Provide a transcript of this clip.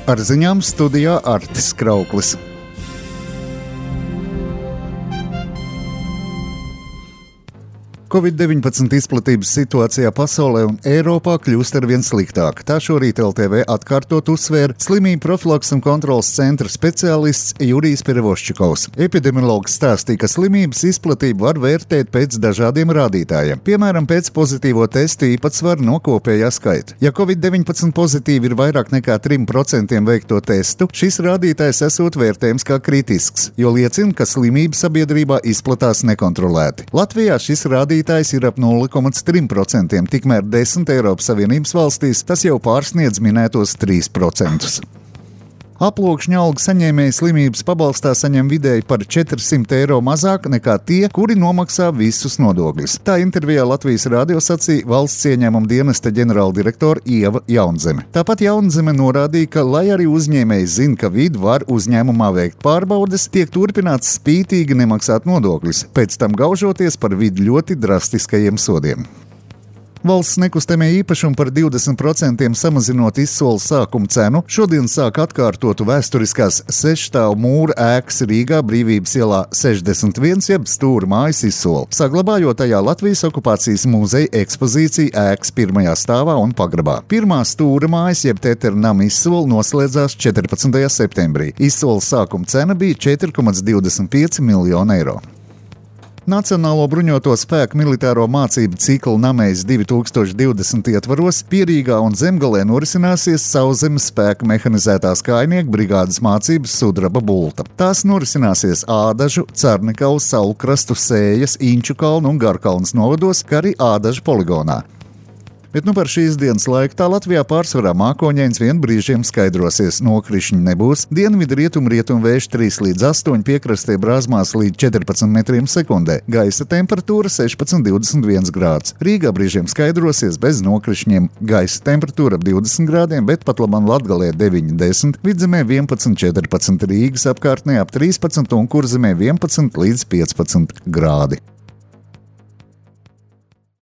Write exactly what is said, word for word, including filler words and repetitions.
Ar ziņām studijā Artis Krauklis. covid deviņpadsmit izplatības situācijā pasaulē un Eiropā kļūst arvien sliktāk. Tā šorīt L T V atkārtot uzsvēra slimību profilaks un kontrolas centra speciālists Jurijs Perevoščikovs. Epidemiologs stāstīja, ka slimības izplatību var vērtēt pēc dažādiem rādītājiem, piemēram, pēc pozitīvo testu īpatsvaru no kopējā skaita. Ja covid deviņpadsmit pozitīvi ir vairāk nekā trim procentiem veikto testu, šis rādītājs esot vērtējums kā kritisks, jo liecina, ka slimība sabiedrībā izplatās nekontrolēti. Latvijā šis rādītājs ir ap nulle komats trīs procenti, tikmēr desmit Eiropas Savienības valstīs tas jau pārsniedz minētos trīs procentus. Aploksņa algu saņēmēji slimības pabalstā saņem vidēji par četrsimt eiro mazāk nekā tie, kuri nomaksā visus nodokļus. Tā intervijā Latvijas radio sacīja valsts ieņēmuma dienesta ģenerāldirektore Ieva Jaunzeme. Tāpat Jaunzeme norādīja, ka, lai arī uzņēmēji zina, ka vidi var uzņēmumā veikt pārbaudes, tiek turpināts spītīgi nemaksāt nodokļus, pēc tam gaužoties par vidi ļoti drastiskajiem sodiem. Valsts nekustamie īpašumi par divdesmit procentiem samazinot izsoli sākuma cenu, šodien sāk atkārtotu vēsturiskās sešstāvu mūra ēkas Rīgā Brīvības ielā sešdesmit viens jeb stūra mājas izsoli, saglabājot tajā Latvijas okupācijas muzeja ekspozīciju ēkas pirmajā stāvā un pagrabā. Pirmā stūra mājas jeb Tetera nama izsoli noslēdzās četrpadsmitajā septembrī. Izsoles sākuma cena bija četri komats divdesmit pieci miljoni eiro. Nacionālo bruņoto spēku militāro mācību cikla Namejs divi tūkstoši divdesmit ietvaros Pierīgā un Zemgalē norisināsies Sauszemes spēku mehanizētās kājnieku brigādes mācības Sudraba Bulta. Tās norisināsies Ādažu, Carnikalu, Saulkrastu, Sējas, Inčukalnu un Garkalnas novados, kā arī Ādažu poligonā. Bet nu par šīs dienas laiku tā Latvijā pārsvarā mākoņains, vien brīžiem skaidrosies, nokrišņi nebūs, dienvidu rietumu rietumu vējš trīs līdz astoņi, piekrastē brāzmās līdz četrpadsmit metriem sekundē, gaisa temperatūra sešpadsmit līdz divdesmit viens grāds. Rīgā brīžiem skaidrosies bez nokrišņiem, gaisa temperatūra ap divdesmit grādiem, bet pat labam Latgalē deviņi desmit, Vidzemē vienpadsmit četrpadsmit, Rīgas apkārtnē ap trīspadsmit un Kurzemē vienpadsmit līdz piecpadsmit grādi.